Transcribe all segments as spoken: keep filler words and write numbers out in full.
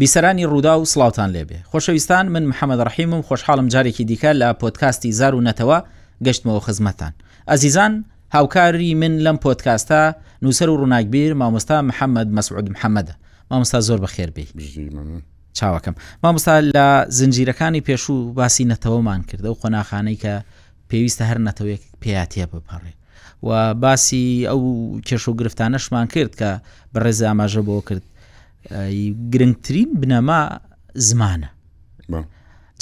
بیسەرانی ڕوودا و سڵاوتان لێبێ. خۆشەویستان، من محەممەد ڕەحیمم، خۆشحاڵم جارێکی دیکە لە پۆدکاستی زار و نەتەوە گەشتمەوە خزمەتان. ئەزیزان، هاوکاری من لەم پۆدکاستە نووسەر و ڕووناکبیر مامۆستا محەممەد مەسعود محەممەدە. مامۆستا زۆر بەخێر بێی. چاوەکەم. مامۆستا، لە زنجیرەکانی پێشوو باسی نەتەوەمان کرد، ئەو قۆناخانەی کە پێویستە هەر نەتەوەیەک پێیاتیە بپەڕێ و باسی ئەو کێش و گرفتانەشمان کرد کە بەڕێز ئاماژە بۆ کرد. گرنگترین بنەما زمانە.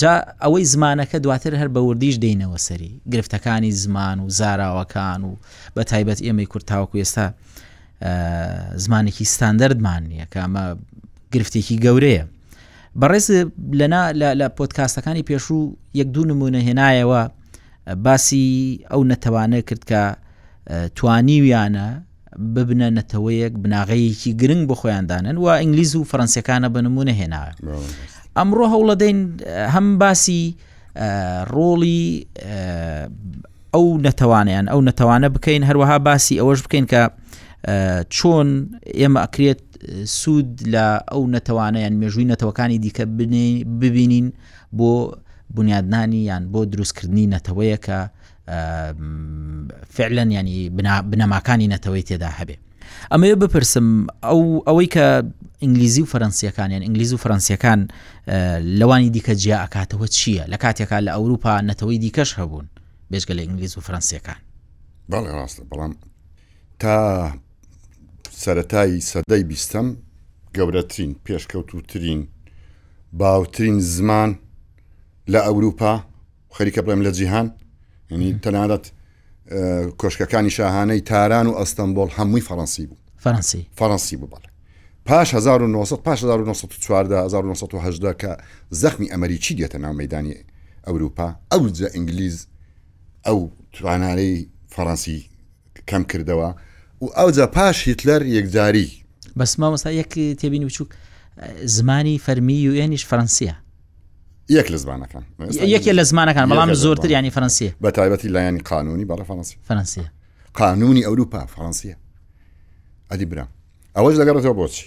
جا ئەوەی زمانەکە دواتر هەر بە وردیش دێینەوە سەری گرفتەکانی زمان و زاراوەکان و بە تایبەت ئێمەی کورد تاوەکو ئێستا زمانێکی ستاندەردمان نییە کە ئەمە گرفتێکی گەورەیە. بەڕێز لەنا لە پۆدکاستەکانی پێشوو یەک دوو نمونە هێنایەوە، باسی ئەو نەتەوانە کرد کە توانیویانە ببنە نەتەوەیەک بناغەیەکی گرنگ بۆ خۆیان دانن و ئینگلیز و فەرەنسیەکانە بە نمونە هێناوە. ئەمڕۆ هەوڵەدەین هەم باسی ڕۆڵی ئەو نەتەوانیان ئەو نەتەوانە بکەین، هەروەها باسی ئەوەش بکەین کە چۆن ئێمە ئەکرێت سوود لە ئەو نەتەوانەیان مێژووی نەتەوەکانی دیکە ببینین بۆ بنیادنانی یان بۆ دروستکردنی نەتەوەیە کە فعلا ینی بنەماکانی نەتەوەی تێدا هەبێ. ئەمەوێ بپرسم ئەو ئەوەی کە ئینگلیزی و فەرەنسیەکان یان ئینگلیز و فەرەنسیەکان لەوانی دیکە جیا ئەکاتەوە چییە لە کاتێکا لە ئەوروپا نەتەوەی دیکەش هەبوون بێجگە لە ئینگلیز و فەرەنسیەکان؟ بەڵێ ڕاستە، بەڵام تا سەرەتای سەدەی بیستەم گەورەترین، پێشکەوتوترین، باوترین زمان لە ئەوروپا، خەریکە بڵێم لە جیهان، یعنی تەنانەت کۆشکەکانی شاهانەی تاران و ئەستەنبۆڵ هەمووی فەڕەنسی بوو. فەڕەنسی فەڕەنسی بوو بەڵێ. پاش هەزار و نۆ سەد پاش هەزار و نۆ سەد و چواردە هەزار و نۆ سەد و هەژدە کە زەخمی ئەمریکی دێتە ناو مەدانی ئەوروپا، ئەوجا ئینگلیز ئەو توانارەی فەڕەنسی کەم کردەوە و ئەوجا پاش هیتلەر یەکجاری. بەس مامۆستا یەک تێبینی بچووک، زمانی فەرمی یوئێنیش فەڕەنسیە. یەک لە زمانەکان، یەکێ لە زمانەکان، بەڵام زۆرتر ینی فەرەنسیە، بە تایبەتی لایەنی قانونی بەڵێ فەرەنسی. فەرەنسیە، قانونی ئەوروپا فەرەنسیە. ئەدی برام ئەوەش دەگەڕێتەوە بۆچی؟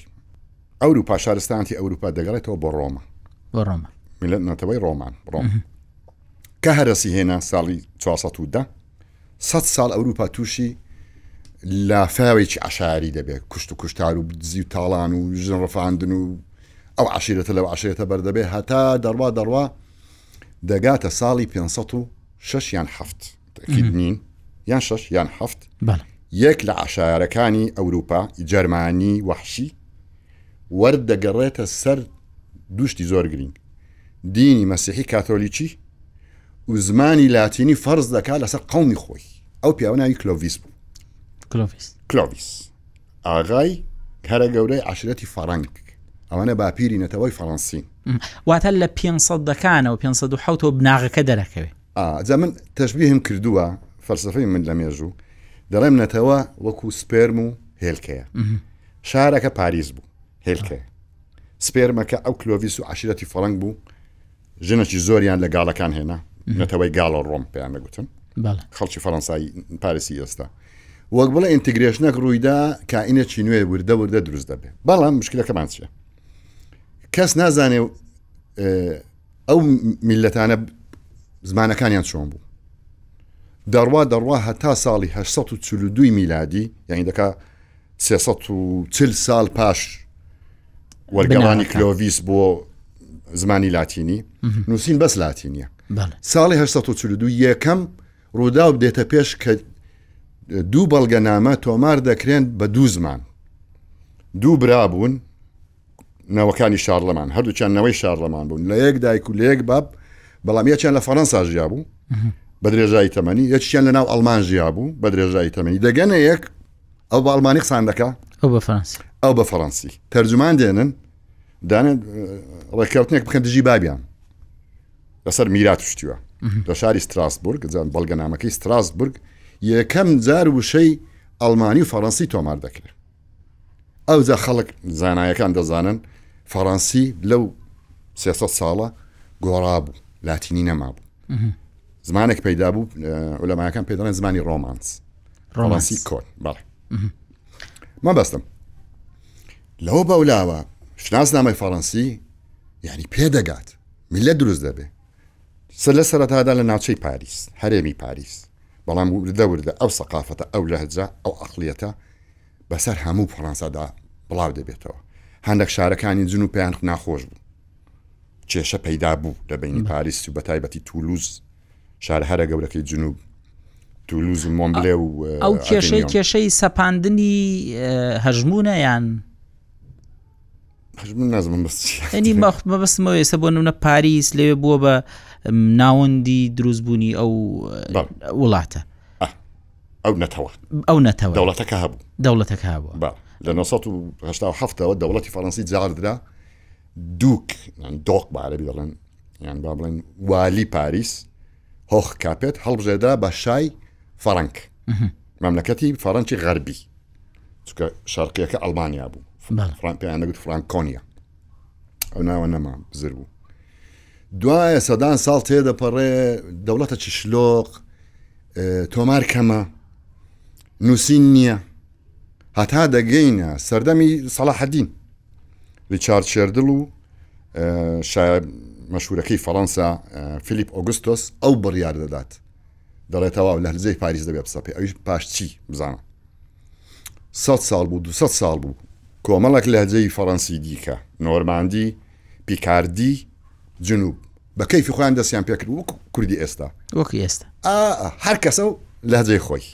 ئەوروپا، شارستانەتی ئەوروپا دەگەڕێتەوە بۆ ڕۆما. بۆ ڕۆما، میلەت نەتەوەی ڕۆمان، ڕۆم کە هەرەسی هێنا ساڵی چوار سەد و دە، سەد ساڵ ئەوروپا تووشی لافاوێکی عەشایری دەبێت، کوشت و کوشتار و دزی و تاڵان و ژن ڕفاندن و ئەو عەشیرەتە لەو عەشیرەتە بەردەبێ هەتا دەڕوا دەڕوا دەگاتە ساڵی پێنج سەد و شەش یان حەفت، تەکید نین، یان شەش یان حەفت. یەک لە عەشایرەکانی ئەوروپا، جەرمانی وەحشی، وەردەگەڕێتە سەر دووشتی زۆر گرنگ، دینی مەسیحی کاتۆلیکی و زمانی لاتینی فەرز دەکات لەسەر قەومی خۆی. ئەو پیاوە ناوی کلۆڤیس بوو. کلۆڤیس کلۆڤیس ئاغای هەرە گەورەی عەشیرەتی فەڕەنگ، ئەوانە باپیری نەتەوەی فەڕەنسین. واتە لە پێنج سەدەکانەوە پێنج سەد و حەوتەوە بناغەکە دەرەکەوێ. جا من تەشبیهم کردووە، فەلسەفەی من لە مێژوو دەڵێم نەتەوە وەکو سپێرم و هێلکەیە. شارەکە پاریس بوو، هێلکەیە. سپێرمەکە ئەو کلۆڤیس و عەشیرەتی فەڕەنگ بوو، ژنێکی زۆریان لە گاڵەکان هێنا، نەتەوەی گاڵە ڕۆم پێیان دەگوتن، خەڵکی فەڕەنسایی پاریسی ئێستا. وەک بڵێ ئینتیگرێشنێک ڕوویدا، کائینێکی نوێ وردە وردە دروست دەبێت. بەڵام مشکلەکەمان چییە؟ کەس نازانێ ئەو میلەتانە زمانەکانیان چۆن بوو. دەڕوا دەڕوا هەتا ساڵی هەشت سەد و چل و دووی میلادی، یعنی دەکا سێ سەد و چل ساڵ پاش وەرگەڕانی کلۆڤیس بۆ زمانی لاتینی، نووسین بەس لاتینیە. ساڵی هەشت سەد و چل و دوو یەکەم ڕووداو دێتە پێش کە دوو بەڵگەنامە تۆمار دەکرێن بە دوو زمان. دوو برا بوون، نەوەکانی شارلەمان، هەردووچیان نەوەی شارلەمان بوون، لە یەک دایک و لە یەک باب، بەڵام یەکیان لە فەڕەنسا ژیا بوو بە درێژایی تەمەنی، یەکیان لە ناو ئەڵمان ژیا بوو بە درێژایی تەمەنی. دەگەنە یەک، ئەو بە ئەڵمانی قسان دەکا، ئەو بە فەرەنسی، ئەو بە فەرەنسی. تەرجومان دێنن، دانێن ڕێککەوتنێک بکەن دژی بابیان لەسەر میرات شتیوە لە شاری ستراسبورگ، بەڵگەنامەکەی ستراسبورگ یەکەم جار وشەی ئەڵمانی و فەڕەنسی تۆمار دەکرێت. ئەوجا خەڵک زانایەکان دەزانن فەڕەنسی لەو سێ سەد ساڵە گۆڕا بوو، لاتینی نەما بوو. زمانێک پەیدا بوو، عولەماکان پێ دەڵێن زمانی ڕۆمانس، ڕۆمانسی کۆن. بەڵێ مەبەستم لەوە بەولاوە شناسنامەی فەڕەنسی یعنی پێدەگات، میلەت دروست دەبێ. سەر لە سەرەتادا لە ناوچەی پاریس، هەرێمی پاریس، بەڵام وردە وردە ئەو سەقافەتە، ئەو لەهجە، ئەو عەقڵیەتە بەسەر هەموو فەڕەنسادا بڵاو دەبێتەوە. هەندێک شارەکانی جنوب پێیان ناخۆش بوو، کێشە پەیدا بوو لە بینی پاریس و بە تایبەتی تولوز، شارە هەرە گەورەکەی جنوب، تولوز و مۆمبلێ و ئەو کێشەی کێشەی سەپاندنی هەژمونە یان هەژمون نازم بەس ئەنی مەبەستمەوە ئێستا بۆ نمونە پاریس لەوێ بووە بە ناوەندی دروستبوونی ئەو وڵاتە، ئەو نەتەوە، ئەو نەتەوە دەوڵەتەکە هەبوو، دەوڵەتەکە هەبوو. لە نۆ سەد و هەشتا و حەفتەوە دەوڵەتی فەڕەنسی جاردرا دوک، یان دۆق بە عەرەبی دەڵێن، یان با بڵێن والی پاریس، هۆخ کاپێت هەڵبژێردرا بە شای فەڕەنک، مەملەکەتی فەڕەنکی غەربی، چونکە شەرقیەکە ئەڵمانیا بوو، پێیان دەگوت فرانکۆنیا، ئەو ناوە نەما بزر بوو. دوایە سەدان ساڵ تێدەپەڕێ، دەوڵەتەکی شلۆق، تۆمار کەمە، نووسین نییە، هەتا دەگەینە سەردەمی سەلاحەدین، ریچارد شێردڵ و شای مەشهورەکەی فەڕەنسا فیلیپ ئۆگوستۆس ئەو بڕیار دەدات، دەڵێتەوە لە هەلزەی پاریس دەبێ بسەپێ. ئەویش پاش چی بزانە، سەد ساڵ بوو، دوو سەد ساڵ بوو، کۆمەڵێک لەهجەی فەڕەنسی دیکە، نۆرماندی، پیکاردی، جنوب، بە کەیفی خۆیان دەستیان پێکرد وەک کوردی ئێستا، وەکو ئێستا هەر کەسە و لەهجەی خۆی.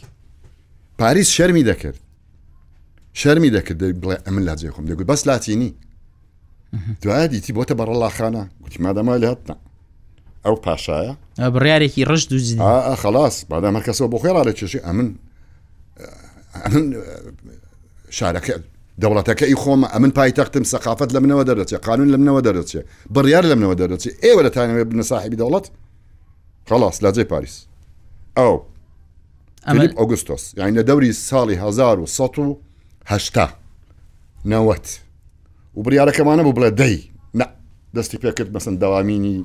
پاریس شەرمی دەکرد، شەرمی دەکرد بڵێ ئەمن لەهجەی خۆم، دەگوت بەس لاتینی. دوای دیتی بۆتە بەڕەڵاخانە، گوتی مادەمە لێهاتنا ئەو پاشایە بڕیارێکی ڕشت و جدی. ئا خلاص، مادام هەر کەسەوە بۆ خۆی ڕادەکێشێ، ئەمن ئەمن شارەکە دەوڵەتەکە ئی خۆمە، ئەمن پایتەختم، سەقافەت لە منەوە دەردەچێ، قانون لە منەوە دەردەچێ، بڕیار لە منەوە دەردەچێ، ئێوە دەتانەوێ بنە ساحێبی دەوڵەت؟ خلاص لاجێ پاریس. ئەو فیلیپ ئۆگوستۆس، یعنی لە دەوری ساڵی هەزار و سەد و هەشتا نەوەت و بڕیارەکەمانە بوو بڵێ دەی نا، دەستی پێکرد مەسەن دەوامینی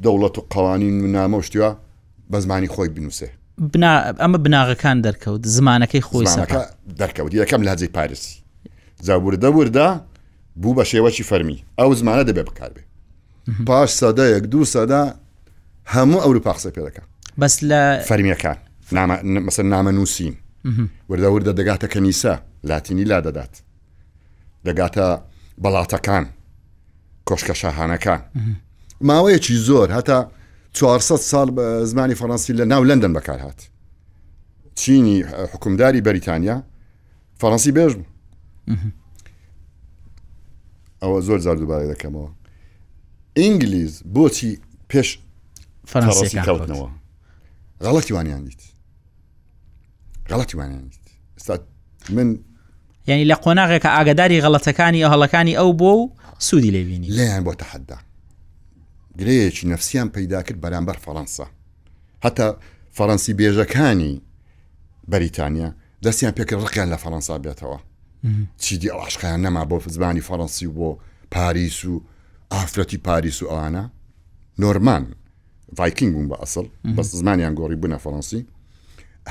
دەوڵەت و قوانین و نامە و شتیوە بە زمانی خۆی بنووسێ. ئەمە بناغەکان دەرکەوت، زمانەکەی خۆی زمانەکە دەرکەوت، یەکەم لەهجەی پاریسی، جا وردە وردە بوو بە شێوەکی فەرمی، ئەو زمانە دەبێ بکاربێ. پاش سەدەیەک دوو سەدە هەموو ئەوروپا قسە پێ دەکا، بەس لە فەرمیەکان، مەسەن نامە نووسین، وردە وردە دەگاتە کەنیسە، لاتینی لا دەدات، دەگاتە بەڵاتەکان، کۆشکە شاهانەکان. ماوەیەکی زۆر هەتا چوارسەد ساڵ بە زمانی فەڕەنسی لە ناو لەندەن بەکار هات. چینی حکومداری بەریتانیا فەڕەنسی بێژ بوو. ئەوە زۆر جار دووبارە دەکەمەوە. ئینگلیز بۆچی پێش فەڕەنسی کەوتنەوە؟ غەڵەتی وانیان دیت، غەڵەتی وانیان دیت. ئێستا من یعنی لە قۆناغێکە ئاگاداری غەڵەتەکانی ئەو هەڵەکانی ئەو بۆ و سوودی لێبینی، لێیان بۆ تەحەدا، گرەیەکی نەفسیان پەیدا کرد بەرامبەر فەڕەنسا. هەتا فەڕەنسی بێژەکانی بەریتانیا دەستیان پێکرد ڕقیان لە فەڕەنسا بێتەوە، چیدی ئەو عشقیان نەما بۆ زمانی فەڕەنسی و بۆ پاریس و ئافرەتی پاریس و ئەوانە. نۆرمان ڤایکینگ بوون بە ئەسڵ، بەس زمانیان گۆڕی بوونە فەڕەنسی.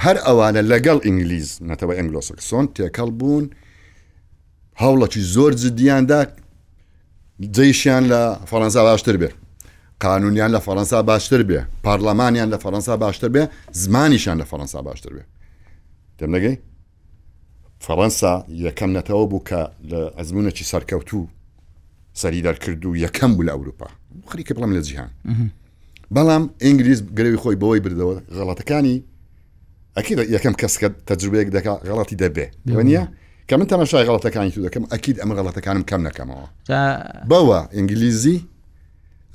هەر ئەوانە لەگەڵ ئینگلیز، نەتەوە ئەنگلۆسەکسۆن تێکەڵ بوون، هەوڵەکی زۆر جدیاندا جەیشیان لە فەڕەنسا باشتر بێ، قانونیان لە فەڕەنسا باشتر بێ، پەرلەمانیان لە فەڕەنسا باشتر بێ، زمانیشیان لە فەڕەنسا باشتر بێ. تێم نەگەی؟ فەڕەنسا یەکەم نەتەوە بوو کە لە ئەزمونێکی سەرکەوتوو سەری دەرکرد و یەکەم بوو لە ئەوروپا، خەریکە بڵێم لە جیهان. بەڵام ئینگلیز گرەوی خۆی بەوەی بردەوە، غەڵەتەکانی ئەکید یەکەم کەس کە تەجروبەیەک دەکا غەڵەتی دەبێ، وەنیە؟ کە من تەماشای غەڵەتەکانی تو دەکەم، ئەکید ئەمە غەڵەتەکانم کەم نەکەمەوە. بەوە ئینگلیزی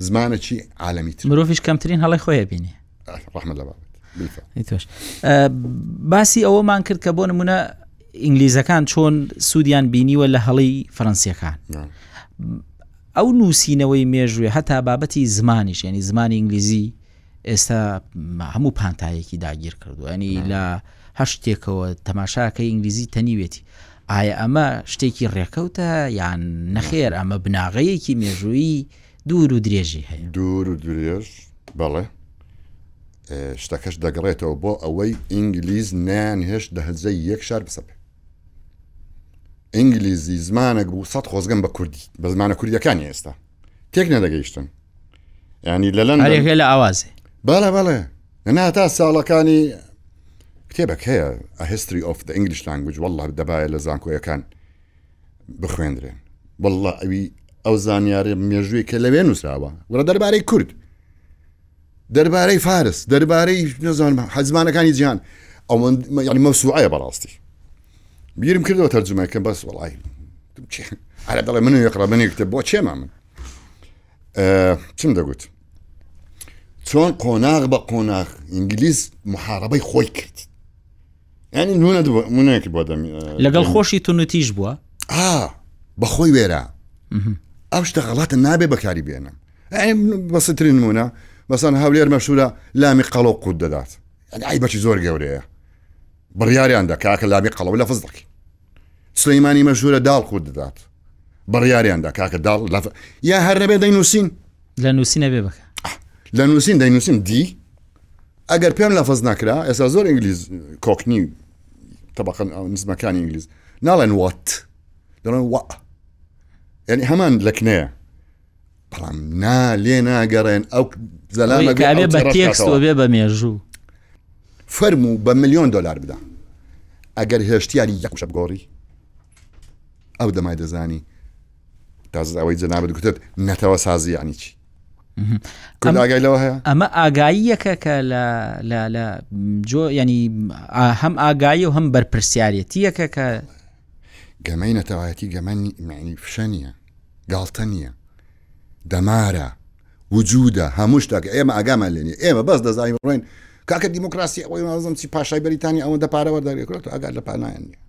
زمانێکی عالەمی تر، مرۆڤیش کەمترین هەڵەی خۆی بینێ. ڕەحمەت لە بابەت. تۆش باسی ئەوەمان کرد کە بۆ نمونە ئینگلیزەکان چۆن سوودیان بینیوە لە هەڵی فەرەنسیەکان. ئەو نووسینەوەی مێژوێ هەتا بابەتی زمانیش، یعنی زمانی ئینگلیزی ئێستا هەموو پانتایەکی داگیر کردو، ینی لە هەر شتێکەوە تەماشاکەی ئینگلیزی تەنیوێتی. ئایا ئەمە شتێکی ڕێکەوتە یان نەخێر ئەمە بناغەیەکی مێژوویی دوور و درێژی هەیە؟ دوور و درێژ بەڵێ. شتەکەش دەگەڕێتەوە بۆ ئەوەی ئینگلیز نانهێشت لەهجەی یەک شار بسەپێ. ئینگلیزی زمانێک بوو سەد خۆزگەم بە کوردی، بە زمانە کوردیەکانی ئێستا تێک نەدەگەیشتن. ینی لە لەندەن هەرێکە لە ئاوازێ. بەڵێ بەڵێ، نا تا ساڵەکانی کتێبێک هەیە A History of the English Language، والله دەبایە لە زانکۆیەکان بخوێندرێن. والله ئەوی ئەو زانیارە مێژووی کە لەوێ نووسراوە، وڵە دەربارەی کورد، دەربارەی فارس، دەربارەی نەزانم حەزمانەکانی جیهان، ئەوەند یعنی مەوسوعەیە بەڕاستی. بیرم کردەوە تەرجمەکەم بەس وەڵای عەرەب دەڵێ من یقرا من یکتب، بۆ چێما من چم دەگوت؟ چۆن قۆناغ بە قۆناغ ئینگلیز محاربەی خۆی کرد. یعنی نونە نونەیەکی بۆ دەم لەگەڵ خۆشی تونوتیژ بووە؟ ئا بەخۆی وێرا. ئەو شتە غەڵاتە نابێ بەکاری بێنم. یعنی بەسەترین نمونە مەسەن هەولێر مەشهورە لامی قەڵەو قوت دەدات، یعنی عیبەکی زۆر گەورەیە، بڕیاریان دا کاکە لامی قەڵەو لەفز دەکەی. سلەیمانی مەشهورە داڵ قوت دەدات، بڕیاریان دا کاکە داڵ لەف یا هەر نەبێ دەینووسین. لە نووسینە بێ بکە. لە نووسین دەینووسین دی ئەگەر پێم لەفز نەکرا، ئێستا زۆر ئینگلیز کۆکنی طبقە نزمەکانی ئینگلیز ناڵێن وات، دەڵێن وا، یعنی هەمان لەکنەیە، بەڵام نا لێ ناگەڕێن ئەو زەلامە بێ بە تێکست و بێ بە مێژوو. فەرموو بە ملیۆن دۆلار بدە ئەگەر هێشتیاری یەک وشە بگۆڕی، ئەو دەمای دەزانی تازە ئەوەی جەنابت گوتت نەتەوە سازی یعنی چی. کورد ئاگای لەوە هەیە؟ ئەمە ئاگاییەکە کە لە جۆ ینی هەم ئاگایی و هەم بەرپرسیارەتیەکە کە گەمەی نەتەوایەتی گەمە معنی فشە نییە، گاڵتە نییە، دەمارە، وجودە، هەموو شتێک ئێمە ئاگامان لێ نییە. ئێمە بەس دەزانین بڕۆین کاکە دیموکراسی ئەوەی نازم چی پاشای بەریتانیا ئەوەندە پارە وەردەگرێت، ئاگات لە پانایان نییە.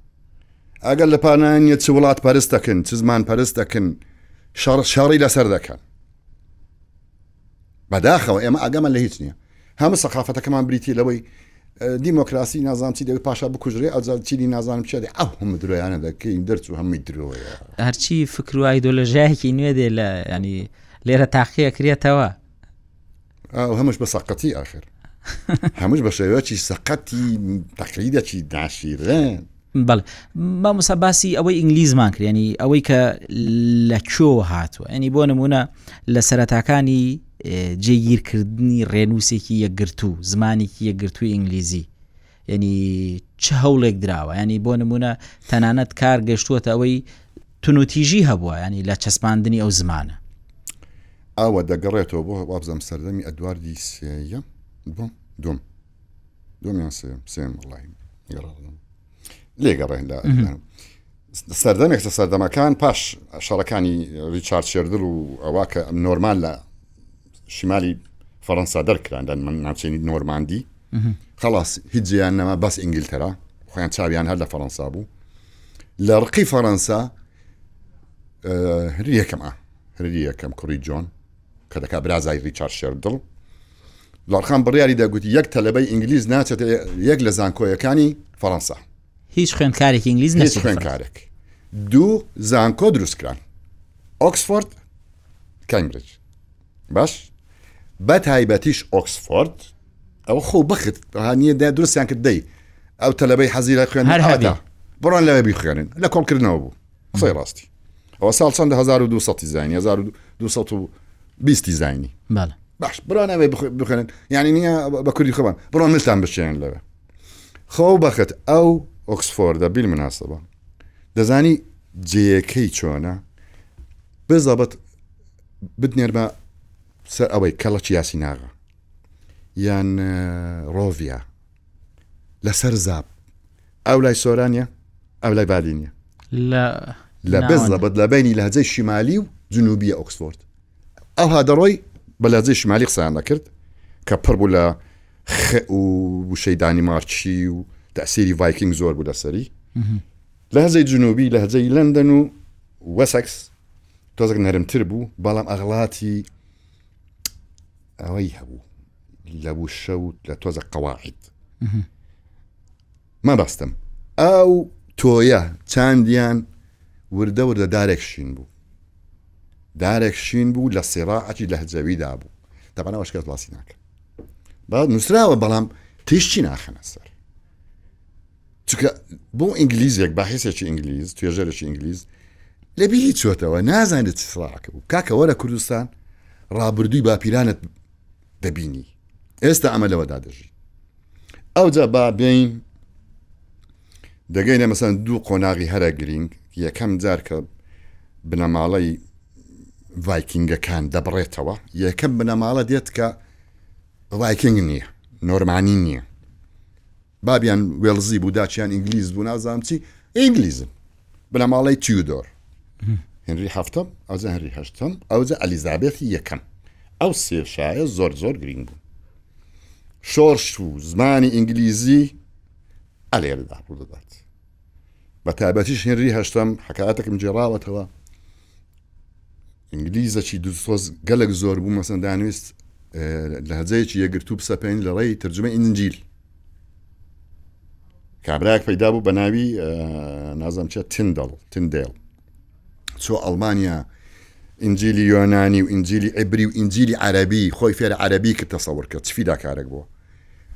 ئەگەر لە پانایان نییە چ وڵات پەرست دەکەن، چ زمان پەرست دەکەن، شەڕی لەسەر دەکەن. بەداخەوە ئێمە ئاگامان لە هیچ نییە. هەموو سەقافەتەکەمان بریتی لەوەی دیموکراسی نازانم چی دەوێت پاشا بکوژرێ، ئەوجا چینی نازانم چی دەوێت، ئەو هەموو درۆیانە دەکەین دەرچوو هەمووی درۆیە. هەرچی فکر و ئایدۆلۆژیایەکی نوێ دێ لە ینی لێرە تاقیە کرێتەوە. ئەو هەمووش بە سەقەتی ئاخر، هەمووش بە شێوەیەکی سەقەتی تەقلیدێکی ناشیرن. بەڵێ مامۆستا باسی ئەوەی ئینگلیزمان کرد، ینی ئەوەی کە لە کوێوە هاتووە، ینی بۆ نمونە لە سەرەتاکانی جێگیرکردنی ڕێنووسێکی یەکگرتوو، زمانێکی یەکگرتووی ئینگلیزی، ینی چ هەوڵێک دراوە، ینی بۆ نمونە تەنانەت کار گەشتووەتە ئەوەی تونوتیژی هەبووە، ینی لە چەسپاندنی ئەو زمانە. ئەوە دەگەڕێتەوە بۆ وابزانم سەردەمی ئەدواردی سێیەم، دوم دوم دوم یان سێیەم، سێیەم وەڵڵاهی لێگەڕێن لە سەردەمێک لە سەردەمەکان پاش شەڕەکانی ڕیچارد شێردل و ئەوە کە نۆرمان لە شمالی فەڕەنسا دەرکران لە ناوچەی نۆرماندی، خلاص هیچ جێیان نەما، بەس ئینگلتەرا خۆیان چاویان هەر لە فەڕەنسا بوو. لە ڕقی فەڕەنسا هەری یەکەم ئا هەری یەکەم کوڕی جۆن کە دەکا برازای ڕیچارد شێردل، لاڕخان بڕیاری دەگوتی یەک تەلەبەی ئینگلیز ناچێتە یەک لە زانکۆیەکانی فەڕەنسا، هیچ خوێندکارێکی ئینگلیز هیچ خوێندکارێک. دوو زانکۆ دروستکران، ئۆکسفۆرد، کامبریج. باش بە تایبەتیش ئۆکسفۆرد ئەوە خۆ بەخت نییە دروستیان کرد دەی ئەو تەلەبەی حەزی لە خوێندن ئەوەتا بڕۆن لەوێ بیخوێنن، لە کۆڵکردنەوە بوو. قسەی ڕاستی ئەوە ساڵ چەندە هەزار و دوو سەدی زانی، هەزار و دوو سەد و بیستی زانی. باش بڕۆن ئەوێ بخوێنن، یعنی نییە بە کوردی خۆمان بڕۆن ملتان بشێنن لەوێ. خۆ بەخت ئەو ئۆکسفۆردە بیلمناسبە دەزانی جێیەکەی چۆنە بزەبت بتنێرمە سەر ئەوەی کەڵەکی یاسیناغە یان ڕۆڤیا لەسەر زاب، ئەو لای سۆرانیە ئەو لای بادینیە، لە بزەبت لە بینی لەهجەی شیمالی و جنوبیە ئۆکسفۆرد. ئەوها دەڕۆی بە لەهجەی شیمالی قسەیان دەکرد کە پڕ بوو لە خ و وشەی دانیمارکی و تەسیری ڤایکینگ زۆر بوو لەسەری. لەهجەی جنوبی لەهجەی لەندەن و وەسەکس تۆزێک نەرمتر بوو، بەڵام ئەغڵاتی ئەوەی هەبوو لە وشە و لە تۆزە قەواعد. مەبەستم ئەو تۆیە چاندیان وردە وردە دارێک شین بوو، دارێک شین بوو لە سیراعەتی لەهجەویدا بوو. تەبعەن ئەوەش کەس باسی ناکە، با نووسراوە بەڵام تیشکی ناخەنە سەر. چونکە بۆ ئینگلیزێک باحیسێکی ئینگلیز توێژەرێکی ئینگلیز لەبیری چۆتەوە نازانێت چ سڵاعەکە بوو. کاکە وەرە کوردستان ڕابردووی باپیرانت دەبینی، ئێستا ئەمە لەوەدا دەژی. ئەوجا با بین دەگەینە مەسەن دوو قۆناغی هەرە گرینگ. یەکەم جار کە بنەماڵەی ڤایکینگەکان دەبڕێتەوە، یەکەم بنەماڵە دێت کە ڤایکینگ نییە، نۆرمانی نییە، بابیان وێڵزی بوو، داچیان ئینگلیز بوو، نازانم چی، ئینگلیزن. بنەماڵەی تیودۆر، هنری هەفتەم، ئەوجا هنری هەشتەم، ئەوجا ئەلیزابێتی یەکەم. ئەو سێ شایە زۆر زۆر گرینگ بوو. شۆرش و زمانی ئینگلیزی ئەلێرەدا ڕوو دەدات. بە تایبەتیش هنری هەشتەم حکایەتێکم گێڕاوەتەوە، ئینگلیزەکی دووسۆز گەلێک زۆر بوو، مەسەن دانویست لە هەجەیەکی یەکگرتوو بسەپێن لە ڕێی تەرجمەی ئینجیل. کابراایەک پەیدا بوو بە ناوی نازانم چیە، تندڵ، تندێل، چۆ ئەڵمانیا ئینجیلی یۆنانی و ئینجیلی عیبری و ئینجیلی عەرەبی، خۆی فێرە عەرەبی کرد، تەسەور کرد چ فیداکارێک بووە،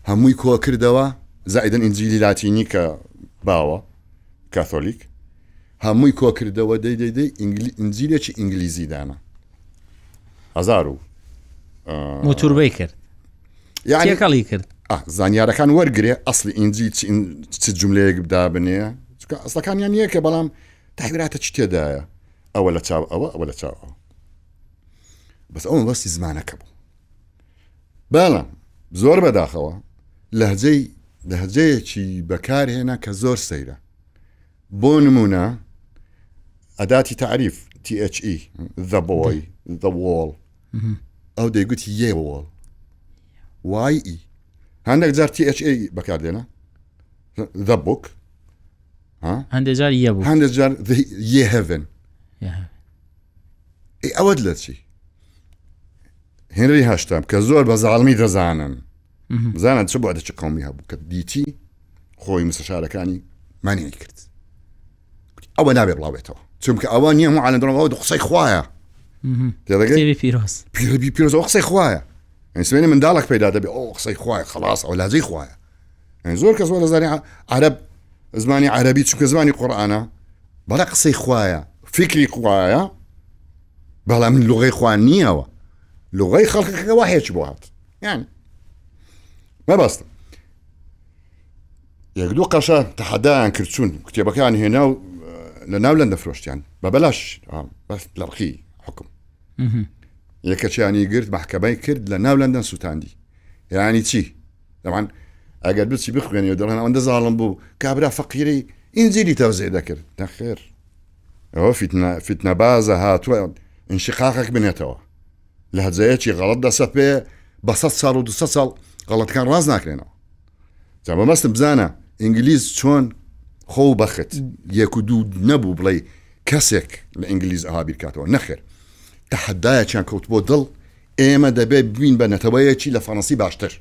هەمووی کۆ کردەوە، زائیدن ئینجیلی لاتینی کە باوە کاثۆلیک، هەمووی کۆ کردەوە، دەی دەی دەی ئینجیلێکی ئینگلیزی دانا. هەزار و موتوربەی کرد، تێکەڵی کرد. زانیارەکان وەرگێ ئەسلی ئینجیل چ جملەیەک دابنێ، چونکە ئەسڵەکانیان یەکە، بەڵام تەحویراتە چی تێدایە، ئەوە لە چاو ئەوە، ئەوە لە چاو ئەوە. بەس ئەوە مەبەستی زمانەکە بوو. بەڵام زۆر بەداخەوە لەهجەی لەهجەیەکی بەکارهێنا کە زۆر سەیرە. بۆ نمونە ئەداتی تعریف T H E the boy the wall، ئەو دەیگوت یێ wall Y E. هەندێک جار T H A بەکاردێنە the book، هەندێک جار یە بوو، هەندێک جار یێ heaven. ئەی ئەوەت لە چی؟ هێنری هەشتەم کە زۆر بە زاڵمی دەزانن، بزانن چ بۆ چ قومی هەبوو، کە دیتی خۆی مستەشارەکانی مانعی کرد، ئەوە نابێ بڵاوێتەوە، چونکە ئەوە نییە هەموو عالەم دەڵێن ئەوە قسەی خوایە. کتێبی پیرۆز، کتێبی پیرۆز، ئەوە قسەی خوایە. یعنی سمێنی منداڵێک پەیدا دەبێ ئەو قسەی خوایە، خلاص ئەو لاجەی خوایە. یعنی زۆر کەس وا دەزانێ عەرەب زمانی عەرەبی چونکە زمانی قورئانە، بەڵێ قسەی خوایە، فکری خوایە، بەڵام لغەی خوا نییەوە، لغەی خەڵکەکە واحێکی بۆ هات. یعنی مەبەستم یەک دوو قەشە تەحەدایان کرد، چوون کتێبەکان هێنا و لە ناو لەندە فرۆشتیان بە بەلاش، بەس لە ڕقی حکم. یەکەچیانی گرت، محکەمەی کرد، لە ناو لەندەن سووتاندی. یعنی چی؟ دەمان ئەگەر بچی بخوێنی و دەڵێن ئەوەندە زاڵم بوو، کابرا فەقیرەی ئینجیلی تەوزیع دەکرد. نەخێر، ئەوە فیتنەبازە هاتووە ئینشیقاقێک بنێتەوە، لە هەجەیەکی غەڵەت دەسەپێ بە سەد ساڵ و دوو سەد ساڵ غەڵەتەکان ڕاست ناکرێنەوە. جا بەمەستم بزانە ئینگلیز چۆن خۆ بەخت یەک و دوو نەبوو بڵێ کەسێک لە ئینگلیز ئەها بیرکاتەوە. نەخێر، تەحەدایەکیان کەوت بۆ دڵ، ئێمە دەبێت ببین بە نەتەوەیەکی لە فەڕەنسی باشتر،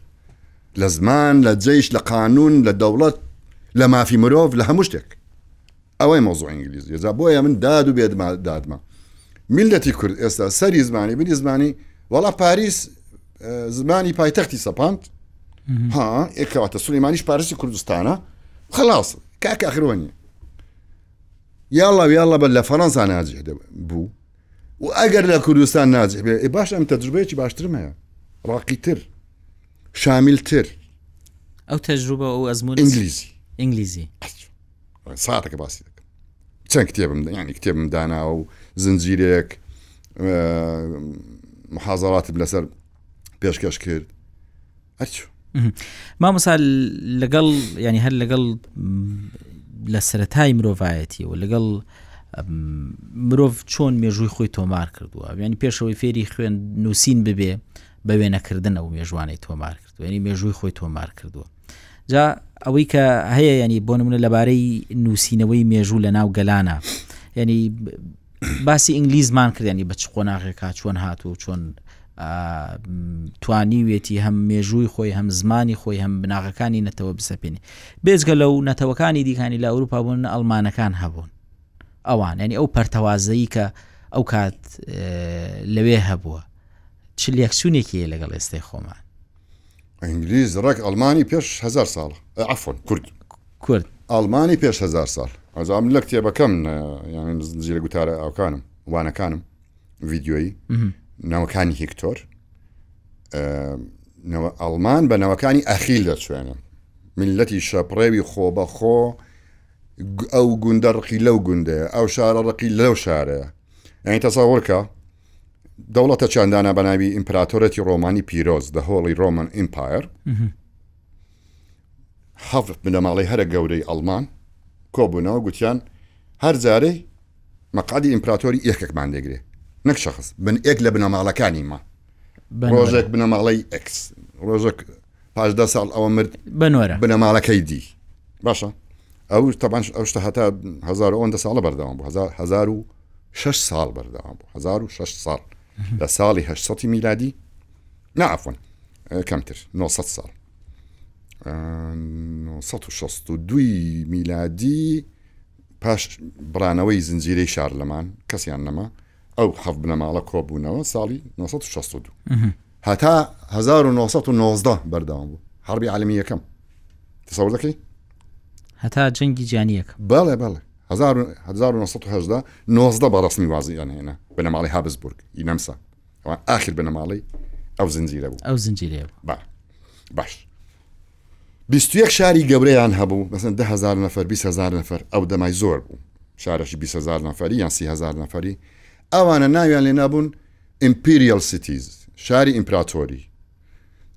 لە زمان، لە جەیش، لە قانون، لە دەوڵەت، لە مافی مرۆڤ، لە هەموو شتێک. ئەوەی مەوزوع ئینگلیزی. جا بۆیە من داد و بێدما دادمە میلەتی کورد ئێستا سەری زمانی بنی زمانی، وەڵا پاریس زمانی پایتەختی سەپاند، ها ئێکەواتە سولەیمانیش پاریسی کوردستانە، خلاص کاکە ئاخرەوە نییە. یاڵا یاڵا بە لە فەڕەنسا ناجح بوو و ئەگەر لە کوردستان ناجح بێ، ئێ باش ئەم تەجروبەیەکی باشترم هەیە، ڕاقیتر، شامیلتر. ئەو تەجروبە ئەو ئەزموون ئینگلیزی. ئینگلیزی ساعتەکە باسی دەکەم. چەند کتێبم، یعنی کتێبم داناوە و زنجیرێک محازەراتم لەسەر پێشکەش کرد. ئەچوو مامۆستا لەگەڵ، ینی هەر لەگەڵ لە سەرەتای مرۆڤایەتی و لەگەڵ مرۆڤ چۆن مێژووی خۆی تۆمار کردووە، یعنی پێشەوەی فێری خوێن نووسین ببێ بە وێنەکردن ئەو مێژوانەی تۆمار کردووە، یعنی مێژووی خۆی تۆمار کردووە. جا ئەوەی کە هەیە، ینی بۆ نمونە لەبارەی نووسینەوەی مێژوو لە ناو گەلانە، ینی باسی ئینگلیزمان کرد، ینی بە چ قۆناغێکا چۆن هاتوو، چۆن توانیوێتی هەم مێژووی خۆی، هەم زمانی خۆی، هەم بناغەکانی نەتەوە بسەپێنی. بێجگە لەو نەتەوەکانی دیکانی لە ئەوروپا بوون، ئەڵمانەکان هەبوون ئەوان، ینی ئەو پەرتەوازەیی کە ئەو کات لەوێ هەبووە، چ لێکچوونێکی هەیە لەگەڵ ئێستای خۆمان؟ ئینگلیز ڕێک ئەڵمانی پێش هەزار ساڵ، عەفوەن کورد. کورد. ئەڵمانی پێش هەزار ساڵ. ئەزا من لە کتێبەکەم یانی زنجیرە گوتارە ئەوکانم وانەکانم ڤیدیۆیی ناوەکانی هیکتۆر ئەڵمان بە ناوەکانی ئەخیل دەچوێنن. میلەتی شەپڕێوی خۆ بەخۆ ئەو گوندە ڕقی لەو گوندەیە، ئەو شارە ڕقی لەو شارەیە. یعنی تەسەوڕکە دەوڵەتە چاندانە بە ناوی ئیمپراتۆرەتی ڕۆمانی پیرۆز، The Holy Roman Empire. حەفت بنەماڵەی هەرە گەورەی ئەڵمان کۆبوونەوە گوتیان هەر جارەی مەقعدی ئیمپراتۆری یەکێکمان دەگرێ، نەک شەخص، بن یەک لە بنەماڵەکانی ما. ڕۆژێک بنەماڵەی ئەکس، ڕۆژێک پاش دە ساڵ ئەوە مرد بنەماڵەکەی دی. باشە ئەو تەبان ئەو شتە هەتا هەزار و ئەوەندە ساڵە بەردەوام بوو، هەزار و شەش ساڵ بەردەوام بوو، هەزار و شەش ساڵ لە ساڵی هەشت سەدی میلادی، نعفون کەمتر نۆ سەد ساڵ، نۆ سەد و شەست و دووی میلادی پاش بڕانەوەی زنجیرەی شارلەمان کەسیان نەما، ئەو حەفت بنەماڵە کۆبوونەوە ساڵی نۆ سەد و شەست و دوو هەتا هەزار و نۆ سەد و نۆزدە بەردەوام بوو، حربی عالەمی یەکەم. تەسەور دەکەی؟ هەتا جەنگی جیهانی یەکەم. بەڵێ بەڵێ هەزار و نۆ سەد و هەژدە نۆزدە بە ڕەسمی وازیان هێنا بنەماڵەی هابسبورگ ی نەمسا، ئەوان ئاخر بنەماڵەی ئەو زنجیرە بوو. ئەو زنجیرە بوو. با باش بیست و یەک شاری گەورەیان هەبوو، مەسەن ده هەزار نەفەر بیست هەزار نەفەر، ئەو دەمای زۆر بوو، شارەشی بیست هەزار نەفەری یان سی هەزار نەفەری. ئەوانە ناویان لێ نابوون Imperial Cities، شاری ئیمپراتۆری.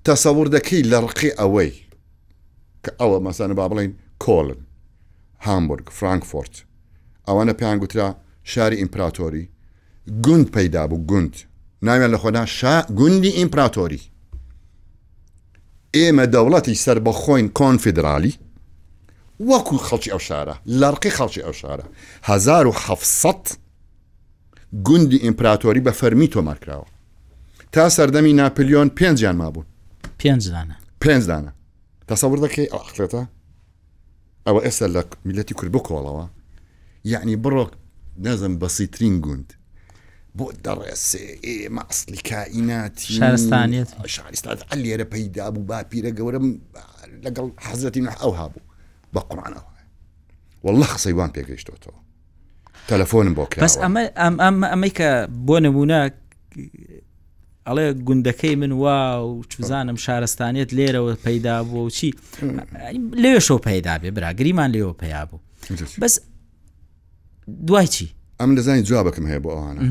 تەسەور دەکەی لە ڕقی ئەوەی کە ئەوە مەسەن با بڵێین کۆلن، هامبورگ، فرانکفۆرت، ئەوانە پێیان گوترا شاری ئیمپراتۆری. گوند پەیدا بوو، گوند ناویان لە خۆدا شا گوندی ئیمپراتۆری. ئێمە دەوڵەتی سەربەخۆین کۆنفیدرالی وەکو خەڵکی ئەو شارە، لە ڕقی خەڵکی ئەو شارە. هەزار و حەفت سەد گوندی ئیمپراتۆری بە فەرمی تۆمار کراوە. تا سەردەمی ناپلیۆن پێنجیان مابوون. پێنج دانە. پێنج دانە. تەسەور دەکەی ئەو عەقڵێتە؟ ئەوە ئێستا لە میلەتی کورد بکۆڵەوە، یعنی بڕۆ نازم بەسیترین گوند بۆ دەڕێسێ ئێمە ئەسلی کائیناتی شارستانیەت، شارستان لێرە پەیدا بوو، باپیرە گەورەم لەگەڵ حەزرەتی نوح ئەو هابوو بە قورئانەوە. والله قسەی وان پێگەیشتۆتەوە، تەلەفۆنم بۆ کراوە. بەس ئەمە ئەمەی کە بۆ نمونە ئەڵێ گوندەکەی من وا و چوزانم شارستانیەت لێرەوە پەیدا بوو و چی لێوێشەوە پەیدا بێ، برا گریمان لێوە پەیا بوو. بەس دوای چی؟ ئەمن دەزانی جوابەکەم هەیە بۆ ئەوانە.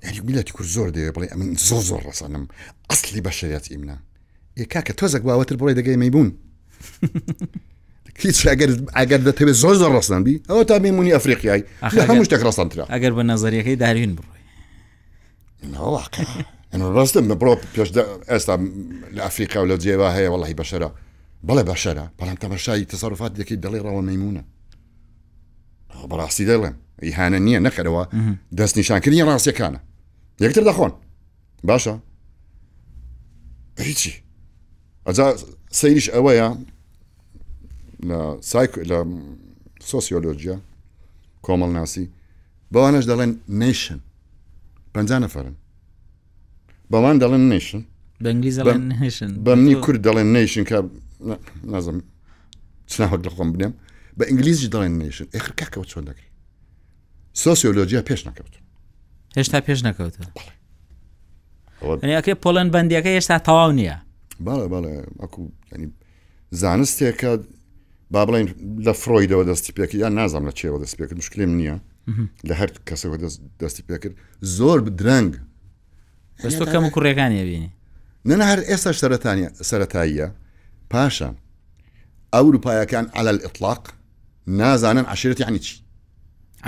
یعنی میلەتی کورد زۆر دەوێ بڵێ ئەمن زۆر زۆر ڕەسەنم، ئەسلی بەشەریەتی منە. ئێ کاکە تۆزێک باوەتر بڵێ دەگەی مەیبوون. هیچ ئەگەر ئەگەر دەتەوێت زۆر زۆر ڕەسەن بی، ئەوە تا مەیمونی ئەفریقیای لە هەموو شتێک ڕەسەنترە. ئەگەر بە نەزەریەکەی داروین بڕۆی. واقع ئەمە ڕاستم بڕۆ پێش ئێستا لە ئەفریقا و لە جێوا هەیە وەڵی بەشەرە، بەڵێ بەشەرە، بەڵام تەماشای تەسەروفات دەکەی دەڵێ ڕەوە مەیمونە. بەڕاستی دەڵێم ئیهانە نییە، نەکەرەوە دەستنیشانکردنی ڕاستیەکانە، یەکتر دەخۆن. باشە هیچی ئەجا سەیریش ئەوەیە لە سایک لە سۆسیۆلۆژیا کۆمەڵناسی بەوانەش دەڵێن nation، پەنجا نەفەرن، بەوان دەڵێن nation، بە ئینگلیزی دەڵێن nation، بە منی کورد دەڵێن nation کە نازم چ ناوێک لە خۆم بنێم، بە ئینگلیزی دەڵێن nation. ئێخر کاکەوە چۆن دەکرێت؟ سۆسیۆلۆژیا پێش نەکەوت، هێشتا پێش نەکەوتووە. یعنی ئەکرێ پۆڵەن بەندیەکە هێشتا تەواو نییە. بەڵێ بەڵێ، ئەکو یعنی زانستێکە با بڵێن لە فرۆیدەوە دەستی پێکرد، یان نازانم لە چێوە دەستی پێکرد، مشکلێم نییە، لە هەر کەسەوە دەستی پێکرد زۆر درەنگ. بەس تۆ کەم و کوڕیەکانی ئەبینی؟ نەنا هەر ئێستا سەرەتاییە. پاشان ئەوروپایەکان عەلە الإطلاق نازانن عەشیرەت یعنی چی.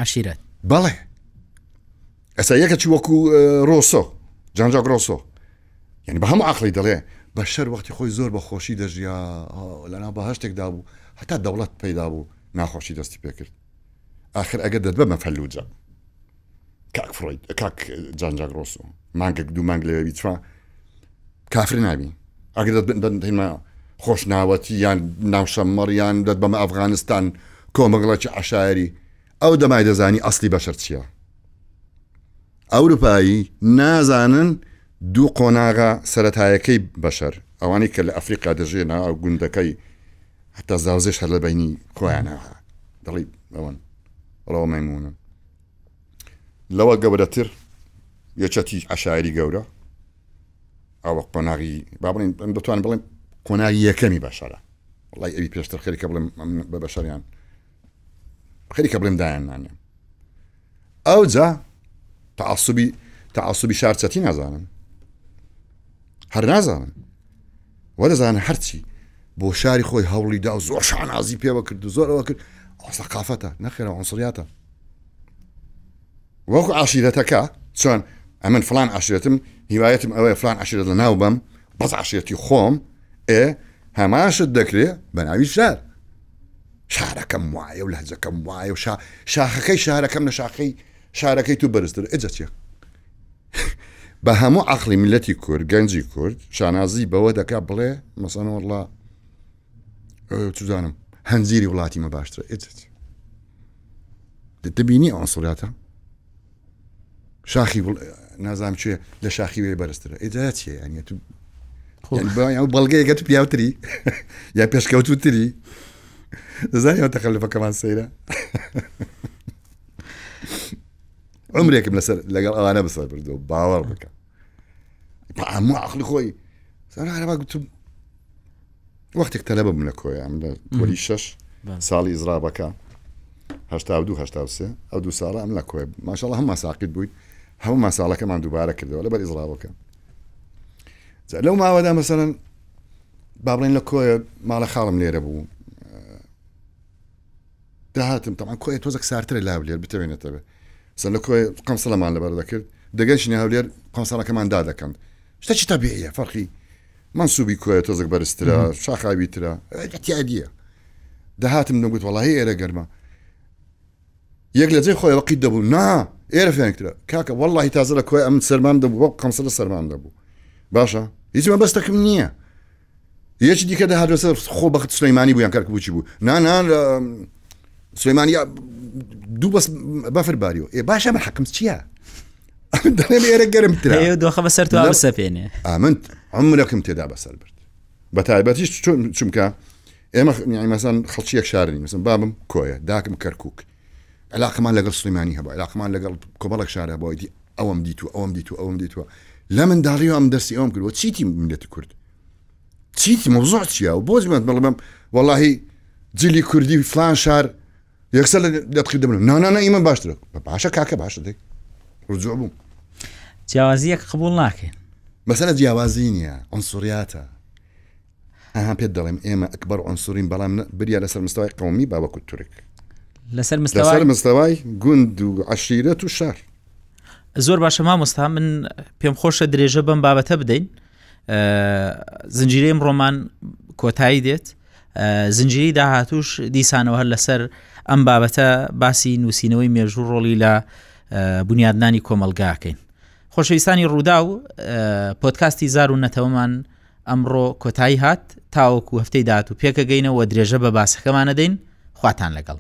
عەشیرەت؟ بەڵێ. ئێستا یەکە چی وەکو ڕۆسۆ، جان ژاک ڕۆسۆ، یعنی بە هەموو عەقڵی دەڵێ بەشەر وەختی خۆی زۆر بە خۆشی دەژیا، لەناو بەهەشتێکدا بوو، هەتا دەوڵەت پەیدا بوو ناخۆشی دەستی پێکرد. آخر ئەگەر دەتبەمە فەلوجە کاک فرۆید، کاک جان ژاک ڕۆسۆ، مانگێک دوو مانگ لەوێ بیچوە کافر نابی. ئەگەر دەتبەمە خۆشناوەتی یان ناوشەممەڕ یان دەتبەمە ئەفغانستان کۆمەڵێکی عەشایری، ئەو دەمای دەزانی ئەسلی بەشەر چییە. ئەوروپایی نازانن دوو قۆناغە سەتایەکەی بەشەر، ئەوانەی کە لە ئەفریقا دەژێنە ئەو گوندەکەی حتا زاوزێش هەر لە بینی خۆیانە دەڵی ئەوەن ڕەوە مەیمونن. لەوە گەورەتر یەکەتی عەشایری گەورە، ئەوە قۆناغی با بڵێن دەتوانم بڵێم قۆناغی یەکەمی بەشەرە. وەڵای ئەوی پێشتر خەریکە بڵێم بە بەشەریان خەریکە بڵێم دایان نانێم. ئەوجا تعصبی تعصبی شارچەتی نازانن، هەر نازانن وە دەزانن هەرچی بۆ شاری خۆی هەوڵی دا و زۆر شانازی پێوە کرد و زۆر ئەوە کرد. ئەو سەقافەتە نەخێرە عنصریاتە. وەکو عشیرەتەکە چۆن ئەمن فلان عشیرەتم هیوایەتم ئەوەیە فلان عشیرەت لە ناو بەم بەس عشیرەتی خۆم، ئێ هەماشت دەکرێ بە ناوی شار. شارەکەم وایە و لەهجەکەم وایە و شاخەکەی شارەکەم لە شاخەی شارەکەی تو بەرزتر. ئێجا چییە؟ بە هەموو عەقڵی میللەتی کورد، گەنجی کورد شانازی بەوە دەکا بڵێ مەسەن وەڵا چزانم هەنجیری وڵاتی مە باشترە. ئێجا چی؟ دەبینی عنصریاتە؟ شاخی نازانم چێ لە شاخی وێ بەرزترە. ئێجا چییە؟ یعنی تو بەڵگەیەکە تو پیاوتری یا پێشکەوتوتری. دەزانی ئەو تەخەلفەکەمان سەیرە. عمرێکم لەسەر لەگەڵ ئەوانە بەسەر بردەوە، باوەڕ بکە هەموو عەقڵی خۆی سەر گوتم وەختێک تەلەبە بووم لە کۆیە، ئەم لە پۆلی شەش ساڵی ئیزرابەکە هەشتا و دوو هەشتا و سێ، ئەو دوو ساڵە ئەم لە کۆیە ماشەڵڵا هەموو ساقیت بووین، هەموو ساڵەکەمان دووبارە کردەوە لەبەر ئیزرابەکە. لەو ماوەدا مەسەلەن با بڵێن لە کۆیە ماڵە خاڵم لێرە بوو، داهاتم تەمان کۆیە تۆزێک سارترە لە هەولێر بتەوێنێتەوە. سەر لە کۆیە قەمسەڵەمان لەبەر دەکرد، دەگەشتینە هەولێر قەمسەڵەکەمان دادەکەند. شتێکی تەبیعیە، فەرقی منسوبی کۆیە تۆزێک بەرزترە، شاخاویترە، اعتیادیە. دەهاتم دەگوت وەڵاهی ئێرە گەرمە. یەک لە جێی خۆی وەقیت دەبوو، نا ئێرە فێنکترە کاکە، وەڵاهی تازە لە کۆیە ئەمن سەرمام دەبوو، وەک قەمسەڵە سەرمام دەبوو. باشە هیچ مەبەستەکم نییە. یەکی دیکە دەهات لەسەر خۆ بەخت سلەیمانی بوو یان کەرکووکی بوو، نا نا سلەیمانی دوو بەس بەفر باریەوە. ئێ باشە من حەقم چییە؟ دەڵێم ئێرە گەرمترە. ئێ دۆخە بەسەر تو بسەپێنێ. ئەمن عمرەکم تێدا بەسەر برد. بە تایبەتیش چونکە ئێمە مەسەن خەڵکی یەک شار نین، مەسەن بابم کۆیە، داکم کەرکووک، علاقەمان لەگەڵ سلەیمانی هەبوو، علاقەمان لەگەڵ کۆمەڵێک شار هەبوو. ئیدی ئەوەم دیتووە، ئەوەم دیتووە، ئەوەم دیتووە. لە منداڵیەوە ئەم دەرسی ئەوم کردووە. چیتی میللەتی کورد؟ چیتی مەوزوع چییە؟ و بۆ زیمەت بڵێم وەڵاهی جلی کوردی فلان شار یەکسەر لە تقید دەبن. نا نا نا ئیمە باشترە. باشە کاکە باشە دەی ڕجوع بووم. جیاوازیەک قبوڵ ناکەین. مەسەلە جیاوازی نییە، عنصریاتە. ئەها پێت دەڵێم ئێمە ئەکبەر عنصرین، بەڵام بریا لەسەر مستەوای قەومی با وەکو تورک، لەسەر لەسەر مستەوای گوند و عەشیرەت و شار. زۆر باشە مامۆستا، من پێم خۆشە درێژە بەم بابەتە بدەین. زنجیرەی ڕۆمان کۆتایی دێت، زنجیرەی داهاتوش دیسانەوە هەر لەسەر ئەم بابەتە باسی نووسینەوەی مێژوو ڕۆڵی لە بنیادنانی کۆمەڵگاکەین. خۆشەویستانی ڕوودا و پۆدکاستی زار و نەتەوەمان ئەمڕۆ کۆتایی هات، تاوەکو هەفتەی داهاتوو پێکەگەینەوە درێژە بە باسەکەمانە دەین. خواتان لەگەڵ.